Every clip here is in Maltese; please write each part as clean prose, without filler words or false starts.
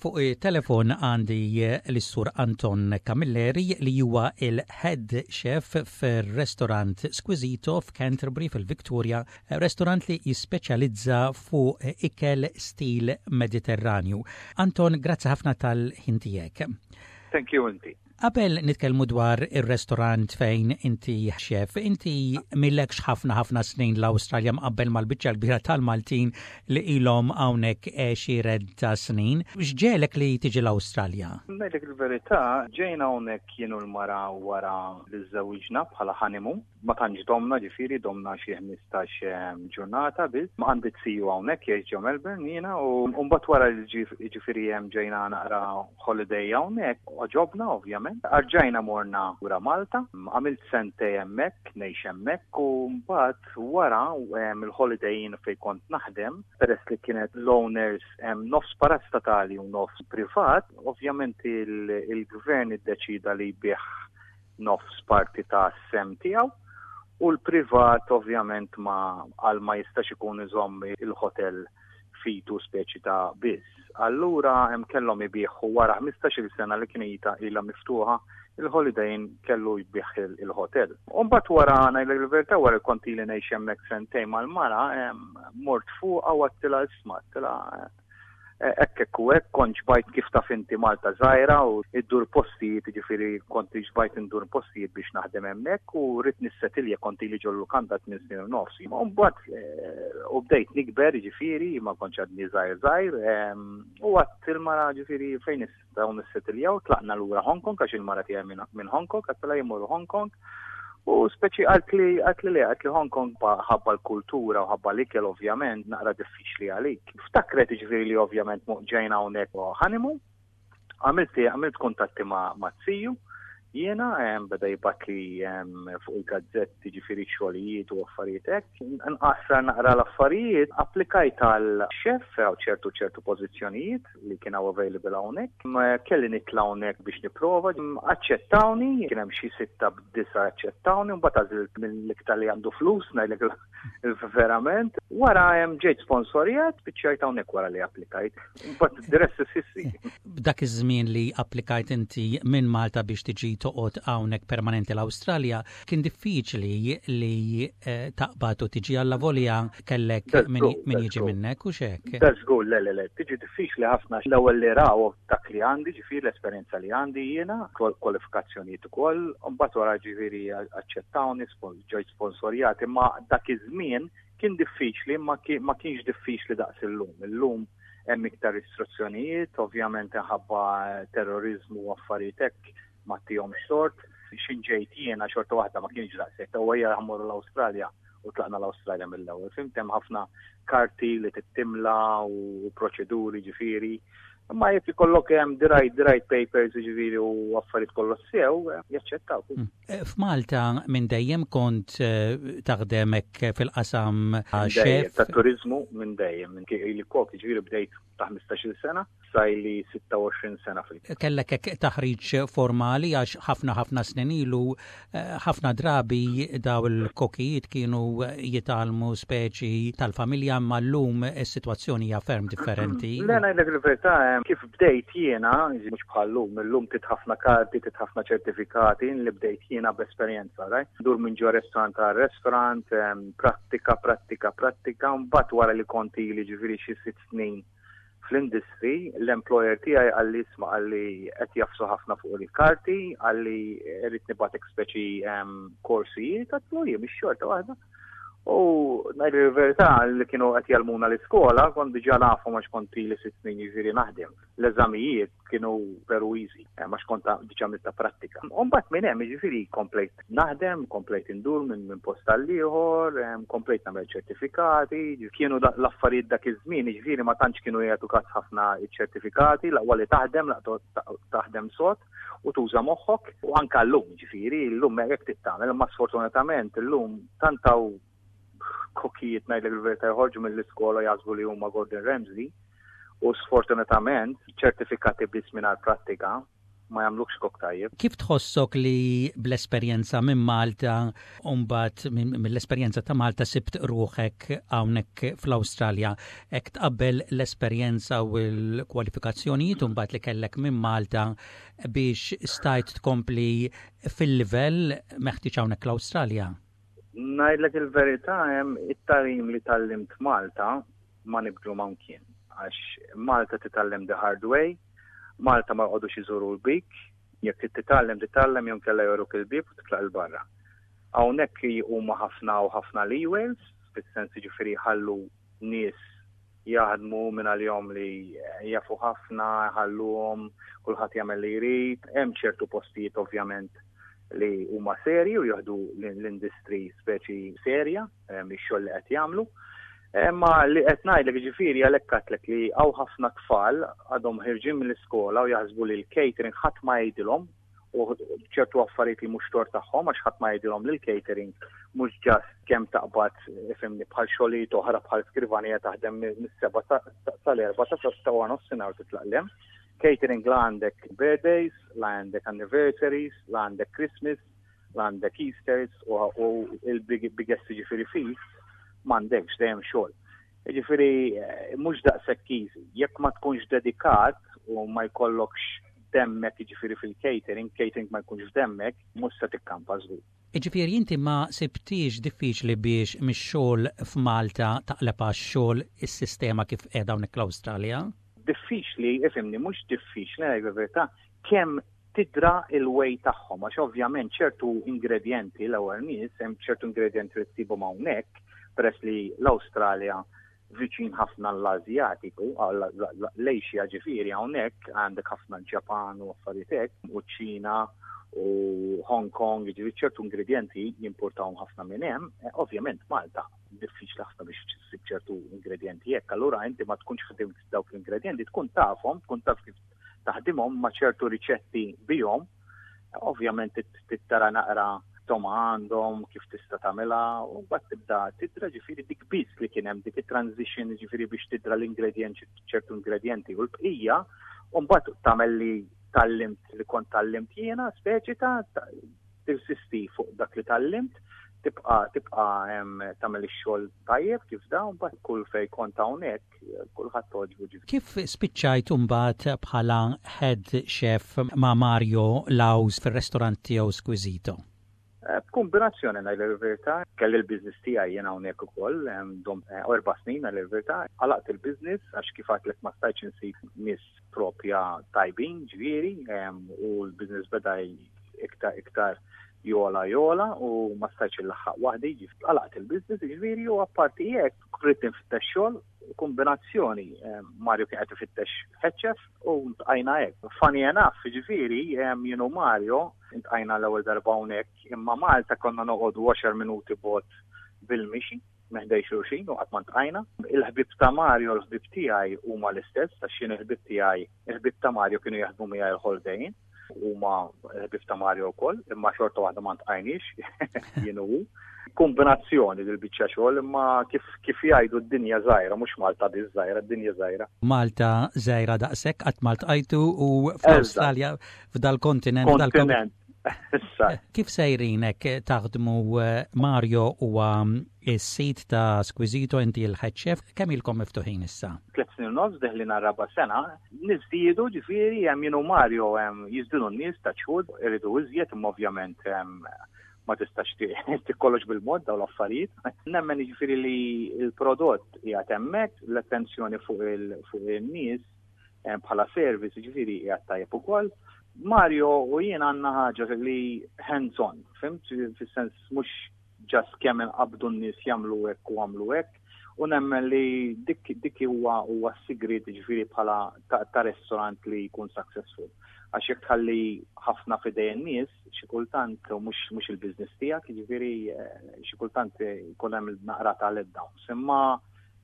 Fuq it-telefon għandi lis-Sur Anton Camilleri li huwa il-head chef fir-restorant Squisito f'Canterbury fil-Victoria, restorant li jispeċjalizza fuq ikel stil Mediterranju. Anton, grazzi ħafna tal-ħin tiegħek. Thank you inti. Qabel nitkellmu dwar ir-restorant fejn inti chef, inti m'ilekx ħafna ħafna snin l-Awstralja mqabbel mal-biċċa l-kbira tal-Maltin li ilhom hawnhekk għexieren ta' snin. X'ġegħlek li tiġi l-Awstralja? Ngħidlek il-verità, ġejna hawnhekk jien u l-mara wara li żżewwiġna bħala honeymoon. Ma tantx domna ġifieri, domna xi 15 ġurnata biss. Ma għandi ziju hawnhekk jgħix ġo Melbourne jiena u mbagħad wara li ġifieri hemm ġejna naqra holiday hawnhekk, għoġobna ovvjament. Arġajna morna lura Malta, għamilt sentej hemmhekk, ngħix hemmhekk u mbagħad wara il-holiday inn fejn kont naħdem, peress li kienet l-owners nofs parastatali u nofs privat, ovvjament il-gvern iddeċida li jbigħ nofs parti ta' sehem tiegħu u l-privat ovvjament ma għal ma jistax ikun iżomm il-hotel fitu speċi ta' biss. Allura hemm kellhom ibigħu wara 15-il sena li kien ilha miftuħa il-Holiday Inn kellu jbigħ il-hotel. U mbagħad wara ngħidlek il-verità wara kont ili ngħix hemmhekk sentejn mal-mara mort fuqha u għedtilha isma' għedtilha Hekk hekk u hekk, kont xbajt kif taf inti Malta żgħira u ddur postijiet, jiġifieri kont xbajt indur postijiet biex naħdem hemmhekk u ridt nissetilja kont ili ġol-lukanda tmien snin u nofs. U mbagħad u bdejt nikber jiġifieri ma kontx għadni żgħir żgħir u għedt il-mara ġifieri fejn Dawn nissetiljaw, tlaqna lura Hong Kong għax il-mara tiegħi minn Hong Kong, għedtilha jien mmorru Hong Kong. U speċi qaltli qaltli le, qaltli Hong Kong ħabba l-kultura u ħabba l-ikel ovvjament naqra diffiċli għalik. Ftakret jiġifieri li ovvjament ġejna hawnhekk honeymoon. Għamilt għamilt kuntatti ma' ziju jiena beda jibgħatli fuq il-gazzetti ġifieri xogħlijiet u affarijiet hekk. Nqassar naqra l-affarijiet, applikajt għal chef għal ċertu ċertu pożizzjonijiet li kien hawn available hawnhekk. Kelli nitla' hawnhekk biex nipprova, aċċettawni, kien hemm xi sitta b'disa aċċettawni, mbagħad għażilt mill-iktar li għandu flus, ngħidlek verament. Wara hemm ġejt sponsorjat, spiċċajt hawnhekk wara li applikajt. Mbagħad the rest is history. B'dak iż-żmien li applikajt inti minn Malta biex tiġi toqgħod hawnhekk permanenti l-Awstralja, Kien diffiċli li eh, taqbad u tiġi allavolja kellek min jiġi minnek u xek. Da żgur, le, le, le, tiġi diffiċli ħafna. L-ewwel li raw dak li għandi, ġifieri l-esperjenza li għandi jiena, kwalifikazzjonijiet ukoll, mbagħad wara ġifieri aċċettawni, ġejt sponsorjat, imma dak iż-żmien kien diffiċli, ma kienx diffiċli daqs illum. Illum hemm iktar istruzzjonijiet, ovvjament ħabba terrorizmu u affarijiet hekk ma ttihomx tort. X'in ġejt jiena xorta waħda ma kienx daqshekk. U ejja ħammorru l-Awstralja u tlaqna l-Awstralja mill-ewwel. Fimt hemm ħafna karti li tittimla u proċeduri ġifieri. Imma jekk ikollok hemm the right, the right papers ġifieri u affarijiet kollox sew, jaċċettaw. Mm. Eh, F'Malta minn dejjem kont eh, taħdem hekk fil-qasam chef. Ta' turizmu minn dejjem, minn li kok ġifieri bdejt ta' 15-il sena. Sa ili 26 sena fil. Kellek hekk taħriġ formali għax ħafna ħafna snin ilu eh, ħafna drabi daw il-kokijiet kienu jitgħallmu speċi tal-familja imma llum is-sitwazzjoni hija ferm differenti. Le ngħidlek il-verità eh, kif bdejt jiena, mhux bħal-lum, illum tit ħafna karti, tit ħafna ċertifikati, li bdejt jiena b'esperjenza, right? Dur minn ġo restaurant għal restaurant, eh, prattika, prattika, prattika, mbagħad wara li kont ili ġifieri xi sitt snin fl-industry, l-employer tiegħi qalli isma' qalli qed jafsu ħafna fuq il-karti, qalli rrid nibgħatek speċi ehm, korsijiet, għatlu jien biex xorta waħda. U ngħid il-verità li kienu qed jgħallmuna l-iskola, kont diġà nafhom għax kont ili sitt snin jiġifieri naħdem. L-eżamijiet kienu veru easy, eh, għax kont diġà għamilta prattika. U mbagħad minn hemm jiġifieri komplejt naħdem, komplejt indur minn min post għal ieħor, eh, komplejt nagħmel ċertifikati, kienu l-affarijiet dak iż-żmien, jiġifieri ma tantx kienu jagħtu każ ħafna ċ-ċertifikati, l-aqwa li taħdem, l-aqwa taħdem sod u tuża moħħok, u anke llum, jiġifieri llum hekk trid tagħmel, imma sfortunatament illum tant hawn kokijiet ngħidlek il-verità joħorġu mill-iskola jaħsbu li huma Gordon Ramsay u sfortunatament ċertifikati biss mingħajr prattika ma jagħmlukx kok tajjeb. Kif tħossok li bl-esperjenza minn Malta u mbagħad mill-esperjenza ta' Malta sibt ruħek hawnhekk fl-Awstralja? Hekk tqabbel l-esperjenza u l-kwalifikazzjonijiet mbagħad li kellek minn Malta biex stajt tkompli fil-livell meħtieġ hawnhekk l-Awstralja? Ngħidlek il-verità hemm it-tagħlim li tgħallimt Malta ma nibdlu ma' mkien. Għax Malta titgħallem the hard way, Malta ma jqogħdux iżuru l-bik, jekk trid titgħallem titgħallem jew inkella joruk il-bieb u titlaq 'il barra. Hawnhekk huma ħafna u ħafna leeways, fis-sens jiġifieri jħallu nies jaħdmu minn għalihom li jafu ħafna, jħalluhom, kulħadd jagħmel li jrid. Hemm ċertu postijiet ovvjament li huma serji u jieħdu l-industry speċi serja mix-xogħol li qed jagħmlu. Imma li qed ngħidlek ġifieri għalhekk għedtlek li hawn ħafna tfal għadhom ħirġin mill-iskola u jaħsbu li l-catering ħadd ma jgħidilhom u ċertu affarijiet li mhux tort tagħhom għax ħadd ma jgħidilhom li l-catering mhux ġast kemm taqbad ifhimni bħal xogħlijiet oħra bħal skrivanija taħdem mis-seba' sal-erba' ta' ta' wara nofsinhar titlaq lem. Catering la għandek birthdays, la għandek anniversaries, la għandek Christmas, la għandek Easters u il-biggest ġifieri feast m'għandekx dejjem xogħol. Ġifieri eh, mhux daqshekk easy. Jekk ma tkunx dedikat u ma jkollokx demmek ġifieri fil-catering, catering ma jkunx f'demmek, mhux se tikkampa żgur. Ġifieri inti ma sibtix diffiċli biex mix-xogħol f'Malta taqleb għax-xogħol is-sistema kif qiegħda hawnhekk l-Awstralja? Diffiċli, ifhimni, mhux diffiċli, ngħidlek il-verità, kemm tidra il-way tagħhom għax ovvjament ċertu ingredjenti l-ewwel nies hemm ċertu ingredjenti li tsibhom hawnhekk peress li l-Awstralja viċin ħafna l-Azjatiku, l-Asia ġifieri hawnhekk għandek ħafna l-Ġapan u affarijiet hekk u ċ-Ċina u Hong Kong, ġifieri ċertu ingredjenti jimportawhom ħafna minn hemm, eh, ovvjament Malta diffiċli ħafna biex tsib ċertu ingredjenti hekk, allura inti ma tkunx ħdimt dawk l-ingredjenti, tkun tafhom, tkun taf kif taħdimhom ma' ċertu riċetti bihom, ovvjament tara naqra toma għandhom, kif tista' tagħmilha, u mbagħad tibda tidra ġifieri dik biss li kien hemm dik it-transition ġifieri biex tidra l-ingredjenti ċertu ingredjenti u l-bqija, u mbagħad tagħmel li tallimt li kont tallimt jiena speċi ta' tirsisti fuq dak li tallimt, tibqa' tibqa' tagħmel ix-xogħol tajjeb kif da, mbagħad kull fejn kont hawnhekk kulħadd togħġbu ġifieri. Kif spiċċajt imbagħad bħala head chef ma' Mario Laus fir-restorant tiegħu Squisito? Eh, b'kombinazzjoni ngħid il-verità, kelli l-business tiegħi jien hawnhekk ukoll, dom eh, erba' snin għal il-verità, għalaqt il-business għax kif għadlek ma stajtx insib nies propja tajbin ġifieri u l-business beda iktar iktar jola jola u ma stajtx il-laħħaq waħdi, għalaqt il-business ġifieri u apparti hekk Ridt infittex xogħol, kombinazzjoni eh, Mario kien qed ifittex head chef u ntqajna hekk. Funny enough, ġifieri eh, jien u Mario ntqajna l-ewwel darba hawnhekk, imma Malta konna noqogħdu 10 minuti bot bil-mixi meħdej xulxin u qatt ma ntqajna. Il-ħbib ta' Mario, l-ħbib tiegħi huma l-istess, għax jien il-ħbib tiegħi, il-ħbib ta' Mario kienu jaħdmu miegħi l-holiday huma ħbieb ta' Mario wkoll, imma xorta waħda ma ntqajniex jien u Kombinazzjoni dil biċċa xogħol imma kif kif jgħidu d-dinja żgħira, mhux Malta biss żgħira, d-dinja żgħira. Malta żgħira daqshekk qatt ma ltqajtu u fl-Awstralja f'dal-kontinent. Kontinent. Kif sejrinek taħdmu eh, Mario huwa s-sid ta' Squisito inti l-head chef, kemm ilkom miftuħin issa? Tlet snin u nofs deħlin għar-raba' sena, niżdiedu ġifieri hemm jien u Mario hemm jiżdienu n-nies ta' ċħud, iridu iżjed imma ovvjament ma tistax tikkollox bil-mod dawn l-affarijiet. Nemmen jiġifieri li l-prodott qiegħed hemmhekk, l-attenzjoni fuq il-nies bħala service ġifieri qiegħed tajjeb ukoll. Mario u jien għandna ħaġa li hands on, fimt? Fis-sens mhux just kemm inqabdu n-nies jagħmlu hekk u għamlu hekk, u nemmen li dik dik huwa huwa s-sigriet ġifieri bħala ta', ta restaurant li jkun successful. Għax jekk tħalli ħafna f'idej in-nies, xi kultant mhux mhux il-business tiegħek, jiġifieri eh, xi kultant jkun hemm naqra ta' letdowns. Imma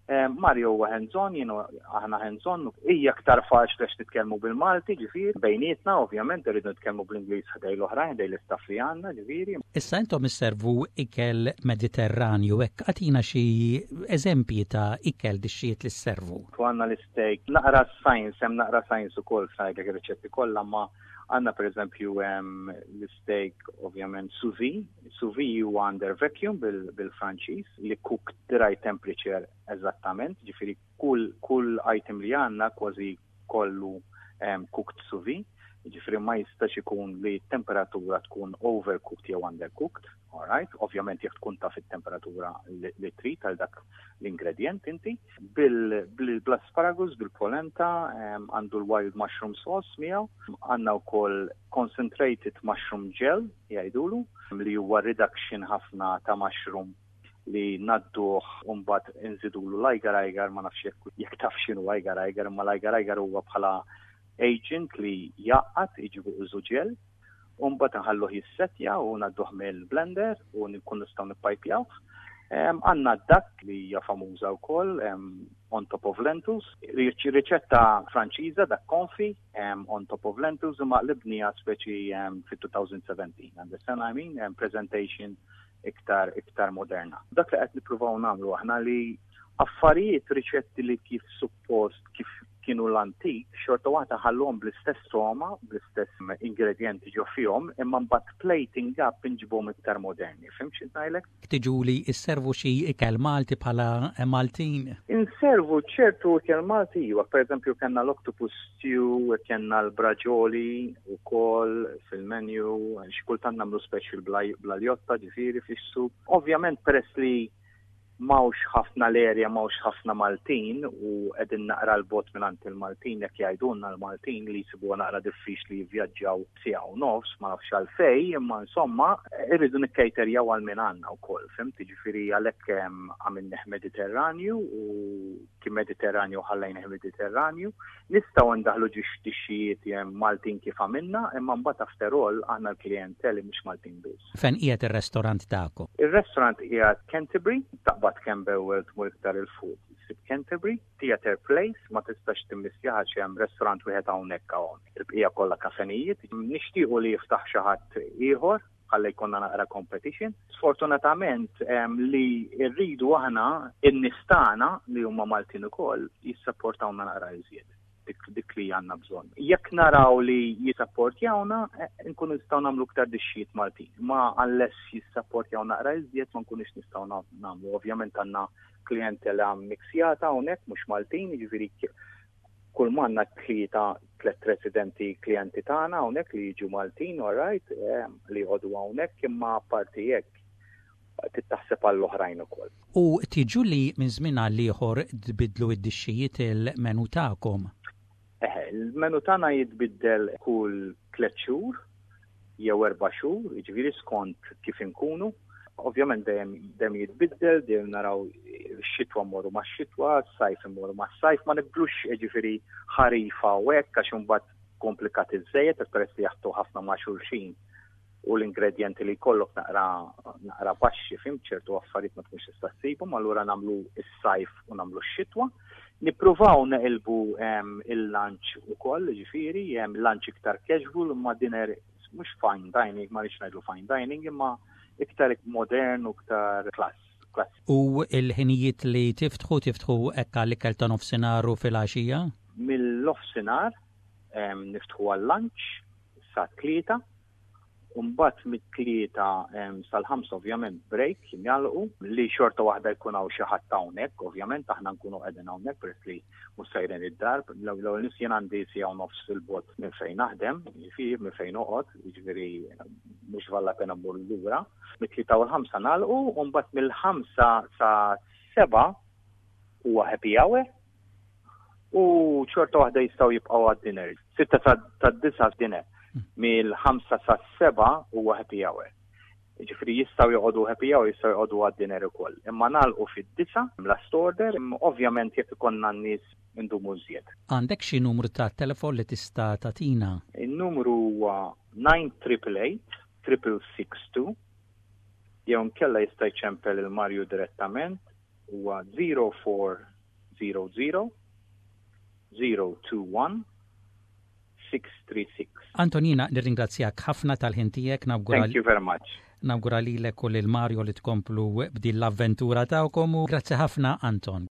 Eh, Mario huwa hands-on, jien aħna hands-on, hija aktar faċli għax nitkellmu bil-Malti, ġifieri, bejnietna ovvjament irridu nitkellmu bl-Ingliż ħdej l-oħrajn, ħdej l-istaff li għandna, ġifieri. Issa intom isservu ikel Mediterranju, hekk agħtina xi eżempji ta' ikel dixxijiet li sservu. Għandna l-steak, naqra science, hemm naqra science ukoll f'ngħidlek ir-riċetti kollha, ma. Għandna pereżempju l-steak ovvjament sous vide. Sous vide huwa under vacuum bil-Franċiż li cooked the right temperature eżattament, ġifieri kull kull item li għandna kważi kollu cooked sous vide, jiġifieri ma jistax ikun li t-temperatura tkun overcooked jew undercooked, alright? Ovvjament jekk tkun taf it-temperatura li trid għal dak l-ingredjent inti. Bil-asparagus, bil-polenta, għandu l-wild mushroom sauce miegħu, għandna wkoll concentrated mushroom gel jgħidulu li huwa reduction ħafna ta' mushroom li ngħadduh u mbagħad inżidulu l-agar agar, ma nafx jekk jekk taf x'inhu agar agar, imma l-agar agar huwa bħala agent li jgħaqqad jiġibu użu ġel, u mbagħad nħalluh jissettja u ngħadduh mill-blender u nkun nistgħu nippajpjawh. Għandna d-dak li hija famuża wkoll on top of lentils, riċetta Franċiża dak konfi on top of lentils imma qlibniha speċi fit-2017, understand what I mean? Presentation iktar iktar moderna. Dak li qed nippruvaw nagħmlu aħna li affarijiet riċetti li kif suppost kif kienu l-antik, xorta waħda ħallhom bl-istess togħma, bl-istess ingredjenti ġo fihom, imma mbagħad plating up inġibhom iktar moderni. Fhimt xi ngħidlek? Tiġu li sservu xi ikel Malti bħala Maltin? Inservu ċertu ikel Malti, iva, pereżempju kellna l-octopus stew, kellna l-braġoli wkoll fil-menu, xi kultant nagħmlu special bl-aljotta, ġifieri fish soup. Ovvjament peress li m'hawnx ħafna l-area m'hawnx ħafna Maltin u qegħdin naqra 'l bogħod mingħand il-Maltin jekk jgħidulna l-Maltin li jsibuha naqra diffiċli jivvjaġġaw siegħa u nofs, ma nafx għalfejn, imma insomma irridu nikkejterjaw għal min għandna wkoll, fhimt? Jiġifieri għalhekk għamilnih Mediterranju u kien Mediterranju ħallejnih Mediterranju. Nistgħu ndaħħlu ġiex dixxijiet Maltin kif għamilna, imma mbagħad after all aħna l-klijenteli mhux Maltin biss. Fejn qiegħed ir-restorant tagħkom? Ir-restorant qiegħed Canterbury, taqbad Camberwell tmur iktar 'il fuq issib Canterbury. Theatre Place ma tistax timmissjaha għax hemm restorant wieħed hawnhekk hawn. Il-bqija kollha kafenijiet. Nixtiequ li jiftaħ xi ħadd ieħor ħalli jkollna naqra competition. Sfortunatament li rridu aħna in-nies tagħna li huma Maltin ukoll jissapportawna naqra iżjed dik, dik li għandna bżonn. Jekk naraw li jissapportjawna, eh, nkunu nistgħu nagħmlu iktar dixxijiet Maltin. Ma unless jissapportjaw naqra iżjed ma nkunux nistgħu nagħmlu. Ovvjament għandna klientela mixjata hawnhekk mhux Maltin, jiġifieri kull m'għandna tlieta tlet residenti klijenti tagħna hawnhekk li jiġu Maltin, all right, eh, li jqogħdu hawnhekk imma apparti hekk trid taħseb għall-oħrajn ukoll. U tiġu li minn żmien għal ieħor tbiddlu id-dixxijiet il-menu tagħkom? Eħe, il-menu tagħna jitbiddel kull 3 xhur jew 4 xhur, jiġifieri skont kif inkunu. Ovvjament dejjem dejjem jitbiddel, dejjem naraw x-xitwa mmorru max-xitwa, s-sajf immorru mas-sajf, ma nibdlux jiġifieri ħarifa u hekk għax imbagħad komplikat iżejjed peress li jaħtu ħafna ma' xulxin u l-ingredienti li jkollok naqra naqra baxxi fhimt ċertu affarijiet ma tkunx tista' ssibhom, allura nagħmlu s-sajf u nagħmlu x-xitwa. Nippruvaw neqilbu il-lunch ukoll, ġifieri, lunch iktar casual imma dinner mhux fine dining, ma rridx ngħidlu fine dining, imma iktar modern u iktar class. Class. U il-ħinijiet li tiftħu, tiftħu hekk għall-ikel ta' nofsinhar u fil-għaxija? Mill-nofsinhar niftħu għal-lunch sa' 3, u mbagħad mit-3 sal-5 ovvjament break nagħlqu li xorta waħda jkun hawn xi ħadd hawnhekk, ovvjament aħna nkunu qegħdin hawnhekk peress li mhux sejrin id-dar. L-ewwel nies jien għandi siegħa u nofs fil-bogħod minn fejn naħdem, jiġifieri minn fejn noqgħod, jiġifieri mhux valla pena mmur lura. Mit-3 u l-5 nagħlqu u mbagħad mill-5 sa 7 huwa happy hour u xorta waħda jistgħu jibqgħu għad-dinner. 6 sa 9 dinner. Mill-5 sa 7 huwa happy hour. Ġifieri jistgħu joqogħdu happy hour, jistgħu joqogħdu għad-dinner ukoll. Imma nagħlqu fid-9 last order, ovvjament jekk ikollna n-nies indumu żjed. Għandek xi numru ta' telefon li tista' tagħtina? Il-numru huwa 9888 662 jew nkella jista' jċempel il-Mario direttament huwa 0400 021 636. Anton, jiena nirringrazzjak ħafna tal-ħin tiegħek nawgura. Thank you very much. Nawgura lilek u lil Mario li tkomplu b'din l-avventura tagħkom u grazzi ħafna Anton.